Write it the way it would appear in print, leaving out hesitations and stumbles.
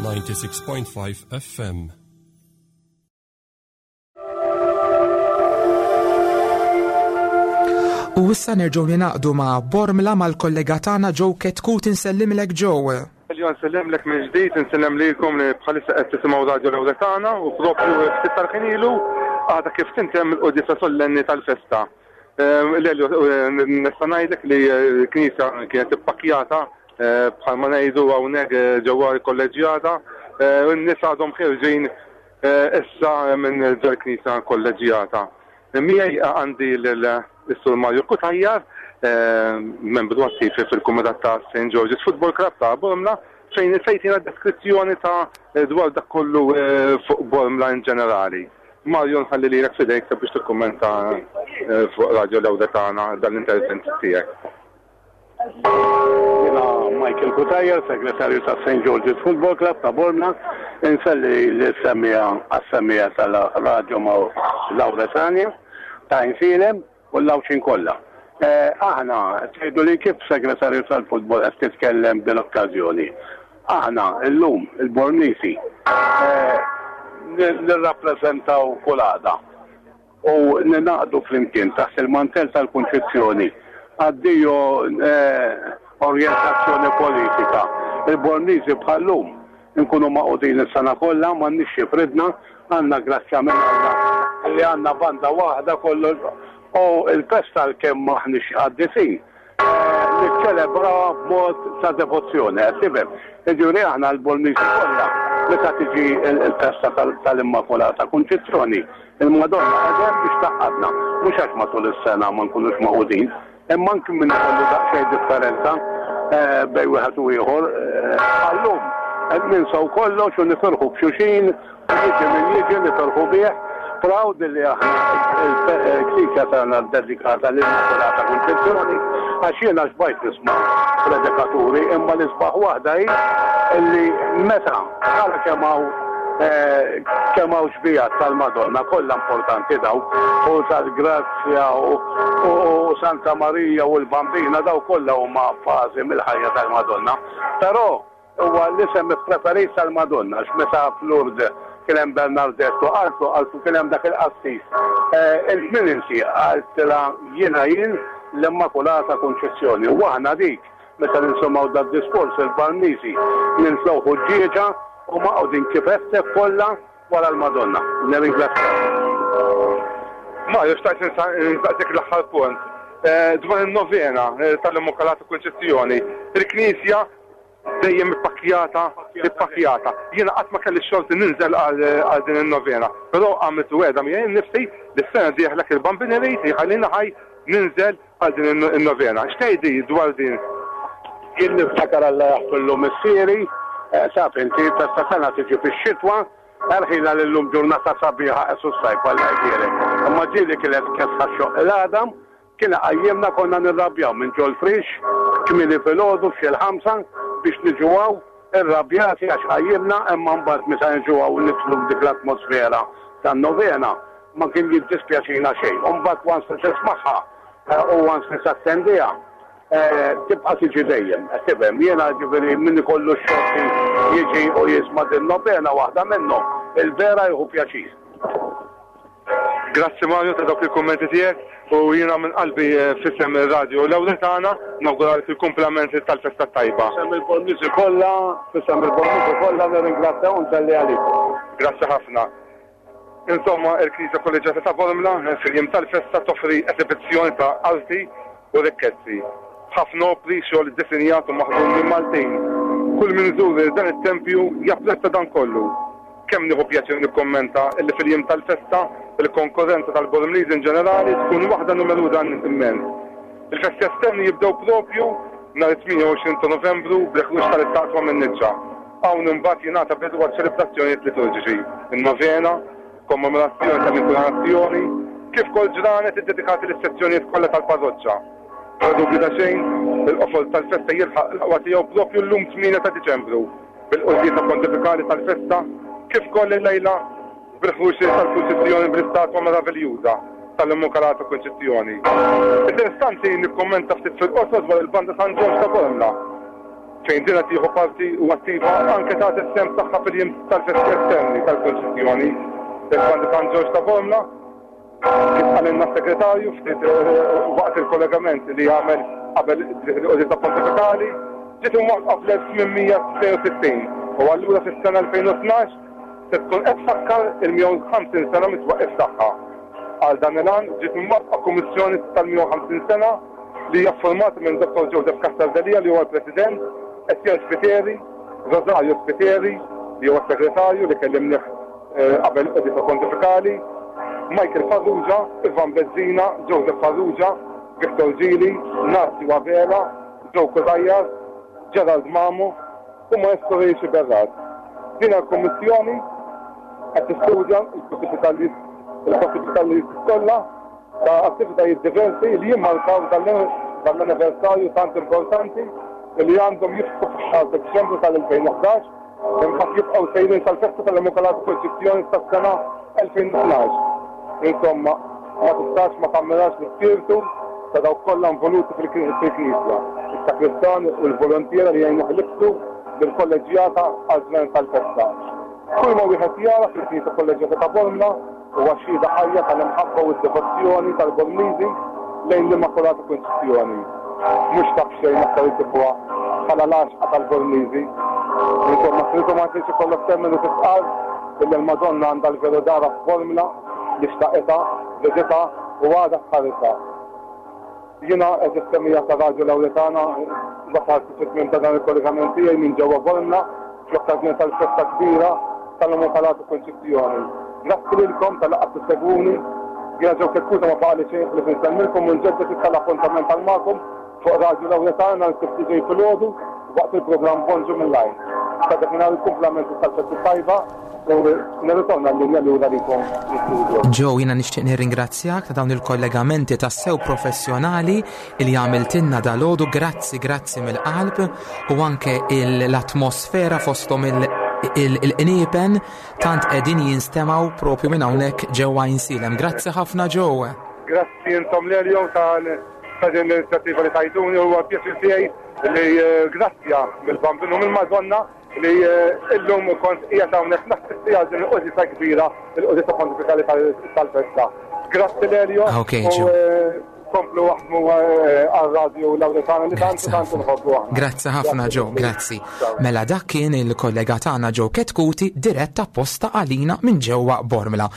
96.5 FM. U issa nerġgħu ninaqdu ma' Bormla mal-kollega tagħna Joe Ketkut insellimlek Joe. Elio nsellimlek minn ġdid, insellem lilkom li bħalissa qed tisimgħu Radio Lewletana u propju ftit tal-ħin ilu għadha kif tintemm il-quddiesa sollenni tal-festa. Lelio, nista' ngħidlek li l-knisja kienet ippakkjata bħalma ngħidu hawnhekk ġewwa l-kolleġġjata, u n-nies għadhom ħerġin issa minn ġol-knisja kolleġġjata. Miegħi għandi lil-Sur Mario Cutajar, membru attiv fil-kumitat ta' St. George's Football Club ta' Bormla, fejn se jtina deskrizzjoni ta' dwar dak kollu fuq Bormla in ġenerali. Mario nħalli lilek f'idejk sabiex tikkummenta fuq Radio Lewdetana dan l-intervent tiegħek. Jiena Michael Cutajar, segretarju ta' St. George's Football Club ta' Bormla, inselli lis-semmiegħa għas-semmiegħa tal-Radio Lawretania ta' Għajnsielem u l-Għawdxin kollha. Aħna, tgħidu li kif segretarju tal-futbol qed titkellem b'din l-okkażjoni? Aħna llum, il-Bormlisi, nirrappreżentaw kull għaqda u ningħaqdu flimkien taħt il-mantell tal-Kunċizzjoni. Addio orjentazzjoni politika. Il-Bormlisi bħal-lum Inkunu magħqudin is-sena kollha, m'għandniex xi jifridna, għandna grazzja minn Alla li għandna banda waħda kollox u l-festa għalkemm m'aħniex qaddisin, niċċelebrawha b'mod ta' devozzjoni, qed tifhem? Jiġifieri aħna l-Bormliżi kollha meta tiġi l-festa tal-Immakulata Kunċizzjoni, il-Madonna qiegħda hemm biex tgħaqqadna, mhux għax matul is-sena ma nkunux magħqudin, Imma anki min ikollu daqsxejn differenza bejn wieħed u ieħor, bħal-lum, ninsew kollox u nifirħu b'xulxin u jiġi min jiġi nifirħu bih. Proud li aħna l-Knisja tagħna ddedikata lill-Immakulata Kunċizzjoni għax jiena xbajt nisma' predikaturi imma l-isbaħ waħda hi li meta tara kemm hawn kemm hawn xbihat tal-Madonna kollha importanti dawk u tal-Grazzja u u Santa Marija u l-Bambina dawn kollha huma fażi mill-ħajja tal-Madonna. Però huwa l-isem ippreferit tal-Madonna għax meta f'Lourdes kien hemm Bernardette u qaltlu qaltlu kien hemm dak il-qassis. Int min inti? Qaltilha jiena jien l-Immakulata Kunċizzjoni. U aħna dik meta nisimgħu dad-diskors il-Barnisi ninflew ħuġġieġa u maqgħudin kif għedtek kollha Wara l-Madonna. Nirringrazzjak. Mario, xtaqt nistaqsik l-aħħar punt. Eh, dwar in-novena eh, tal-Immakulata Kunċizzjoni, il-Knisja dejjem ippakkjata, ippakkjata. Jiena qatt ma kelli xorti ninżel għal din in-novena, però għamilt wegħda miegħi nnifsi li s-sena dieħla il-Bambin irid jħallini ħaj ninżel għal din in-novena. X'tgħidli dwar din? Jien niftakar Alla jaħfirlu missieri, eh, taf inti, festa sena tiġi fix-xitwa, erħila li llum ġurnata sabiħa qesu s-sajf Alla jbierek. Imma ġieli kienet kesħa xoq il-għadam, kien iqajjimna konna nirrabjaw minn ġol frix, kmieni filgħodu f'xi l-ħamsa biex niġu hawn, irrabjati għax qajjimna imma mbagħad meta niġu hawn nidħlu f'dik l-atmosfera tan-novena ma kien jiddispjaċina xejn. U mbagħad once li tismagħha u once li tattendiha tibqa' tiġi dejjem, qed tifhem? Jiena ġifieri min ikollu x-xorti jiġi u jisma' din novena waħda minnhom, il-vera jieħu pjaċir. Grazzi Mario ta' dawk il-kummenti tiegħek u jiena minn qalbi eh, f'isem ir-radio l-ewwel tagħna nawguralek il-kumplament tal-festa tajba. F'isem il-Bormliżi kollha, f'isem il-Bormliżi kollha nirringrazzja u nselli għalikom. Grazzi ħafna. Insomma, il-Knisja Kolleġġjata ta' Bormla eh, fil-jiem tal-festa toffri esibizzjoni ta' arti u rikkezzi. Ħafna opri xogħol iddisinjat u maħdum minn Maltin. Kull min iżur dan it-tempju japprezza dan kollu. Kemm nieħu pjaċir nikkummenta illi fil-jiem tal-festa, il-konkorrenza tal-Bormliżi in ġenerali tkun waħda numeruża immens. Il-festi esterni jibdew proprju nhar it-28 ta' Novembru bl-ħruġ tal-istatwa min-niċċa. Hawn imbagħad jingħata bidu għaċ-ċelebrazzjonijiet liturġiċi, in-novena, kommemorazzjoni tal-inkunazzjoni, kif ukoll ġranet iddedikati lis-sezzjonijiet kollha tal-parroċċa. Bla dubju ta' xejn, il-qofol tal-festa jilħaq l-aqwa tiegħu proprju llum 8 ta' Diċembru. bil-quddiesa pontifikali tal-festa, kif ukoll illejla bil-ħruġ tal-purċissjoni bl-istatwa meraviljuża tal-Immakulata Kunċizzjoni. Interessanti nikkummenta ftit fil-qosor dwar il-Banda San Ġorġ ta' Bormla. Fejn din qed tieħu parti u attiva anke tagħti s-sehem tagħha fil-jiem tal-festi esterni tal-Kunċizzjoni. Il-Banda San Ġorġ ta' Bormla, kif qalilna s-Segretarju ftit waqt il-kollegament li għamel qabel il-Quddiesa Pontifikali, ġiet imwaqqfa fl-1862 u allura fis-sena 2012 se tkun qed tfakkar il-150 sena mit-twaqqif tagħha. Għal dan il-għan ġiet imwaqqfa Kummissjoni tal-150 sena li hija ffurmata minn Dottor Joseph Cassar Delia li huwa l-President, Etienne Spiteri, Rosario Spiteri li huwa s-Segretarju li kellimnih qabel il-Quddiesa Pontifikali, Michael Farrugia, Ivan Bezzina, Joseph Farrugia, Victor Gili, Nazio Abela, Joe Cutajar, Gerald Mamo u Maestro Ray Sciberras. Din il-Kummissjoni qed tistudja l-possibilitajiet kollha ta' attivitajiet diversi li jimmarkaw dan l-anniversarju tant importanti li għandhom jiftħu fix-xahar ta' Diċembru tal-2011 imbagħad jibqgħu sejrin sal-festa tal-Immakulata Kunċizzjoni tas-sena 2012. Insomma, ma tistax ma tammirax l-ispirtu ta' dawk kollha involuti fil-Knisja, is-sakristan u l-volontiera li jgħinuh ilibbsu lill-kolleġġjata għaż-żmien tal-festa. Kull ma wieħed jara fil-Knisja Kolleġġjata ta' Bormla Huwa xhieda ħajja tal-imħabba u d-devozzjoni tal-Bormliżi lejn l-Immakulata Kunċizzjoni. Mhux ta' b'xejn aktar insibuha bħala l-għaxqa tal-Bormliżi. Insomma, trid u ma tridx ikollok temmen u tistqarr illi l-Madonna għandha l-veru darha f'Bormla li xtaqitha, riditha u għadha tħarisha. Jiena, għeżież semmiegħa ta' Radju Lawretana, wasalt fit-tmiem ta' dan il-kollegament tiegħi minn ġewwa Bormla fl-okkażjoni tal-festa kbira tal-Immakulata Kunċizzjoni. Grazzi lilkom talli qgħadtu ssegwuni. Jiena Joe Kekkuta ma baqagħli xejn ħlief insellmilkom u nġedded issa l-appuntament għal magħkom fuq Radju Lawretana nhar is-Sibt li ġej filgħodu waqt il-programm Bonġu mill-Għajn. Sa dakinhar il-kumplament tal-festi t-tajba. U nirritorna l-linja lura lilkom fl-istudio. Joe, jiena nixtieq nirringrazzjak ta' dawn il-kollegamenti tassew professjonali li għamiltilna dalgħodu. Grazzi, grazzi mill-qalb u anke l-atmosfera fosthom il-qniepen tant qegħdin jinstemgħu propju minn hawnhekk ġewwa Għajnsielem. Grazzi ħafna Joe. Grazzi intom Lelio ta' din l-inizjattiva li tajtuni huwa pjaċir tiegħi li eh, grazzja mill-Bambinu mill-Madonna li illum kont qiegħed hawnhekk nassisti għal din il-qudisa kbira, il-qudisa pontifikali tal-festa. Grazzi Lelio. Ok, u eh, komplu waħdmu eh, għal-radio Lawretana li tant tant nħobbu aħna. Grazzi ħafna Joe, grazzi. Mela dak kien il-kollega tagħna Joe Ketkuti diretta apposta għalina minn ġewwa Bormla.